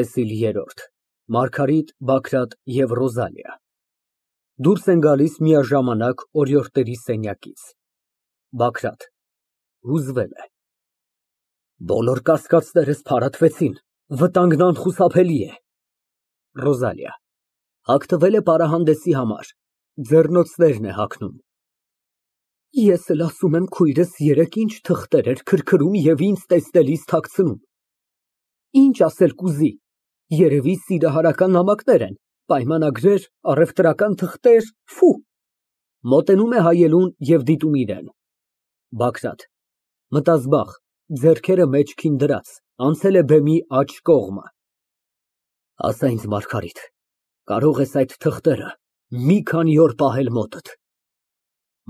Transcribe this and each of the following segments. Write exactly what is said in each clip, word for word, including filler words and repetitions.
ՏԵՍԻԼ ԵՐՐՈՐԴ ՄԱՐԳԱՐԻՏ, ԲԱԳՐԱՏ ԵՎ ՌՈԶԱԼԻԱ Դուրս են գալիս միաժամանակ օրիորդների սենյակից։ ԲԱԳՐԱՏ ֊ (Հուզվել է) Բոլոր կասկածներս փարատվեցին, վտանգն անխուսափելի է։ ՌՈԶԱԼԻԱ ֊ (Հագնվել է պարահանդեսի համար, ձեռնոցներն է հագնում) Ես էլ ասում եմ քույրս երեկ ինչ թղթեր էր քրքրում և ինձ տեսնելիս թաքցնում։ Ինչ ասել կուզի, երևի սիրահարական նամակներ են, պայմանագրեր, առևտրական թղթեր, ֆի։ (Մոտենում է հայելուն և դիտում իրան)։ ԲԱԳՐԱՏ ֊ (Մտազբաղ, ձեռքերը մեջքին դրած, անցել է բեմի աջ կողմը) Ասա ինձ, Մարգարիտ, կարո՞ղ ես այդ թղթերը մի քանի օր պահել մոտդ։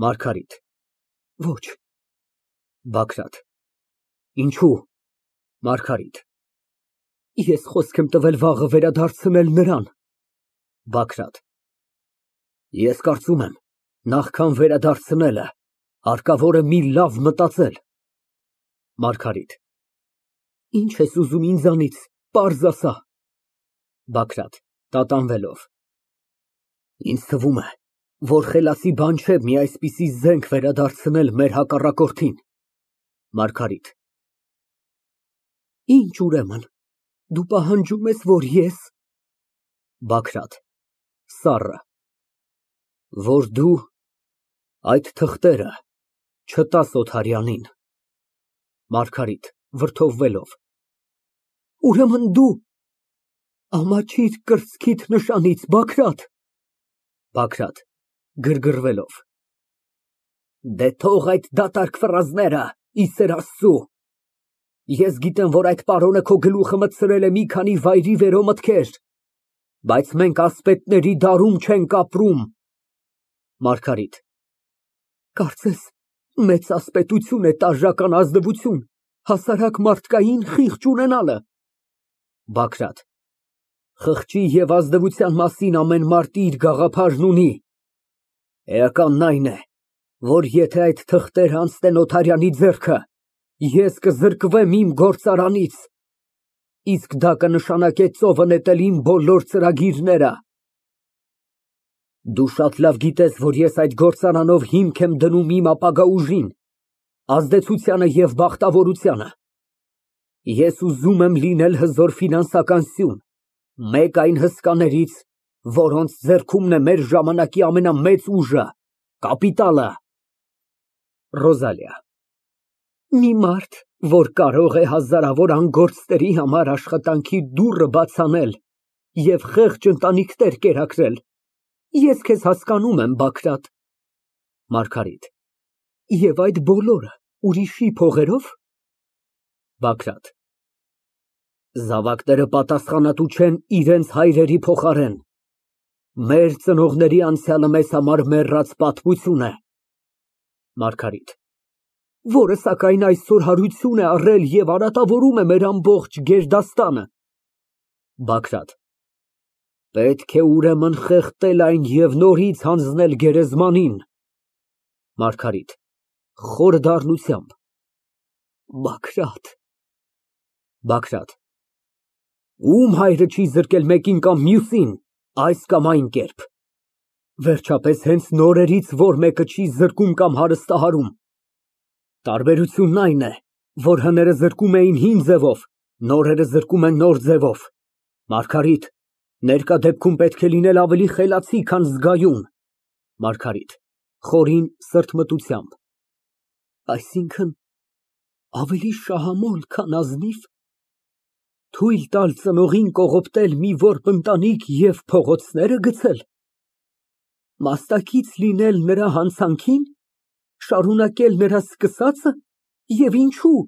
ՄԱՐԳԱՐԻՏ ֊ Ոչ։ ԲԱԳՐԱՏ ֊ Ինչո՞ւ։ ՄԱՐԳԱՐԻՏ ֊ Ես խոսք եմ տվել վաղը վերադարձնել նրան։ ԲԱԳՐԱՏ ֊ Ես կարծում եմ, նախքան վերադարձնելը, հարկավոր է մի լավ մտածել։ ՄԱՐԳԱՐԻՏ ֊ Ինչ ես ուզում ինձանից, պարզ ասա։ ԲԱԳՐԱՏ ֊ (Տատանվելով) Ինձ թվում է, որ խելացի բան չէ մի այսպիսի զենք վերադարձնել մեր հակառակորդին։ ՄԱՐԳԱՐԻՏ ֊ Ինչ, ուրեմն, դու պահանջում ես, որ ես… ԲԱԳՐԱՏ ֊ (Սառը) Որ դու այդ թղթերը չտաս Օթարյանին։ ՄԱՐԳԱՐԻՏ ֊ (Վրդովվելով) Ուրեմն դու… ամաչիր կրծքիդ նշանից, Բագրատ։ ԲԱԳՐԱՏ ֊ (Գրգռվելով) Դե թող այդ դատարկ ֆրազները, ի սեր Աստծու։ Ես գիտեմ, որ այդ պարոնը քո գլուխը մտցրել է մի քանի վայրիվերո մտքեր, բայց մենք ասպետների դարում չենք ապրում։ ՄԱՐԳԱՐԻՏ ֊ Կարծես մեծ ասպետություն է տաժժական ազնվություն, հասարակ մարդկային խիղճ ունենալը։ ԲԱԳՐԱՏ ֊ Խղճի և ազնվության մասին ամեն մարդ իր գաղափարն ունի։ Էականն այն է, որ եթե այդ թղթերն անցնեն Օթարյանի ձեռքը, ես կզրկվեմ իմ գործարանից, իսկ դա կնշանակե ծովը նետել իմ բոլոր ծրագրերը։ Դու շատ լավ գիտես, որ ես այդ գործարանով հիմք եմ դնում իմ ապագա ուժին, ազդեցությանը և բախտավորությանը։ Ես ուզում եմ լինել հզոր ֆինանսական սյուն, մեկ այն հսկաներից, որոնց ձեռքումն է մեր ժամանակի ամենամեծ ուժը՝ կապիտալը։ ՌՈԶԱԼԻԱ ֊ Մի մարդ, որ կարող է հազարավոր անգործների համար աշխատանքի դուռը բաց անել և խեղճ ընտանիքներ կերակրել, ես քեզ հասկանում եմ, Բագրատ։ ՄԱՐԳԱՐԻՏ ֊ Եվ այդ բոլորը ուրիշի փողերո՞վ։ ԲԱԳՐԱՏ ֊ Զավակները պատասխանատու չեն իրենց հայրերի փոխարեն։ Մեր ծնողների անցյալը մեզ համար մեռած պատմություն է։ ՄԱՐԳԱՐԻՏ ֊ Որը, սակայն, այսօր հարություն է առել և արատավորում է մեր ամբողջ գերդաստանը։ ԲԱԳՐԱՏ ֊ Պետք է ուրեմն խեղդել այն և նորից հանձնել գերեզմանին։ ՄԱՐԳԱՐԻՏ ֊ (Խոր դառնությամբ) Բագրատ… ԲԱԳՐԱՏ ֊ Ո՞ւմ հայրը չի զրկել մեկին կամ մյուսին, այս կամ այն կերպ։ Վերջապես, հենց նորերից ո՞ր մեկը չի զրկում կամ հարստահարում։ Տարբերությունն այն է, որ հները զրկում էին հին ձևով, նորերը զրկում են նոր ձևով։ Մարգարիտ, ներկա դեպքում պետք է լինել ավելի խելացի, քան զգայուն։ ՄԱՐԳԱՐԻՏ ֊ (Խորին սրտմտությամբ) Այսինքն՝ ավելի շահամոլ, քան ազնիվ։ Թույլ տալ ծնողին կողոպտել մի որբ ընտանիք և փողոցները գցել։ Մասնակից լինել նրա հանցանքին, շարունակել նրա սկսածը, և ինչո՞ւ։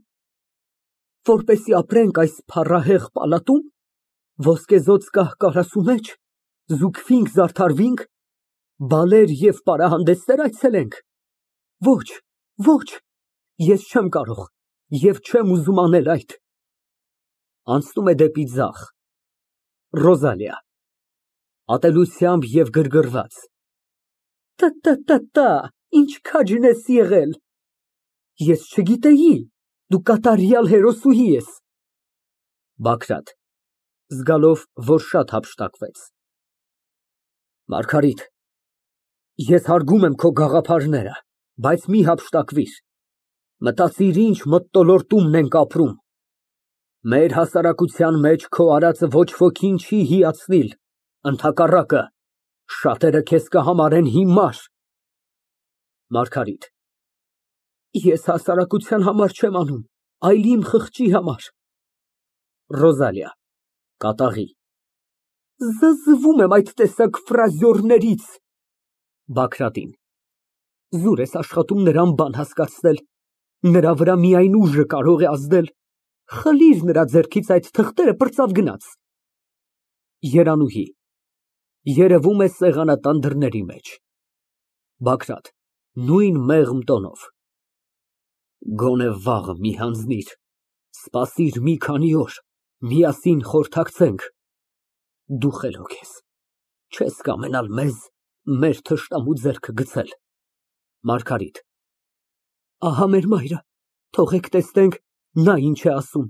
Որպեսզի ապրենք այս փառահեղ պալատո՞ւմ, ոսկեզօծ կահ֊կարասու մեջ, զուգվինք, զարդարվինք, բալեր և պարահանդեսնե՞ր այցելենք։ Ոչ, ոչ, ես չեմ կարող և չեմ ուզում անել այդ։ (Անցնում է դեպի ձախ)։ ՌՈԶԱԼԻԱ ֊ (Ատելությամբ և գրգռված) Տա֊տա֊տա, ինչ քաջն ես եղել։ Ես չգիտեի, դու կատարյալ հերոսուհի ես։ ԲԱԳՐԱՏ ֊ Զգալով, որ շատ հափշտակվեց։ Մարգարիտ, ես հարգում եմ քո գաղափարները, բայց մի հափշտակվիր, մտածիր ինչ մթնոլորտում ենք ապրում։ Մեր հասարակության մեջ քո արածը ոչ ոքին չի հիացնիլ, ընդհակառակը, շատերը քեզ կհամարեն հիմար։ ՄԱՐԳԱՐԻՏ ֊ Ես հասարակության համար չեմ անում, այլ իմ խղճի համար։ ՌՈԶԱԼԻԱ ֊ (Կատաղի) Զզվում եմ այդ տեսակ ֆրազյորներից։ (Բագրատին) Զուր ես աշխատում նրան բան հասկացնել, նրա վրա միայն ուժը կարող է ազդել, խլիր նրա ձեռքից այդ թղթերը, պրծավ գնաց։ ԵՐԱՆՈՒՀԻ ֊ Երևում է սեղանատան դռների մեջ։ ԲԱԳՐԱՏ ֊ (Նույն մեղմ տոնով) Գոնե վաղը մի հանձնիր, սպասիր մի քանի օր, միասին խորհրդակցենք, դու խելոք ես, չես կամենալ մեզ մեր թշնամու ձեռքը գցել։ ՄԱՐԳԱՐԻՏ ֊ Ահա մեր մայրը, թողեք տեսնենք, նա ինչ է ասում։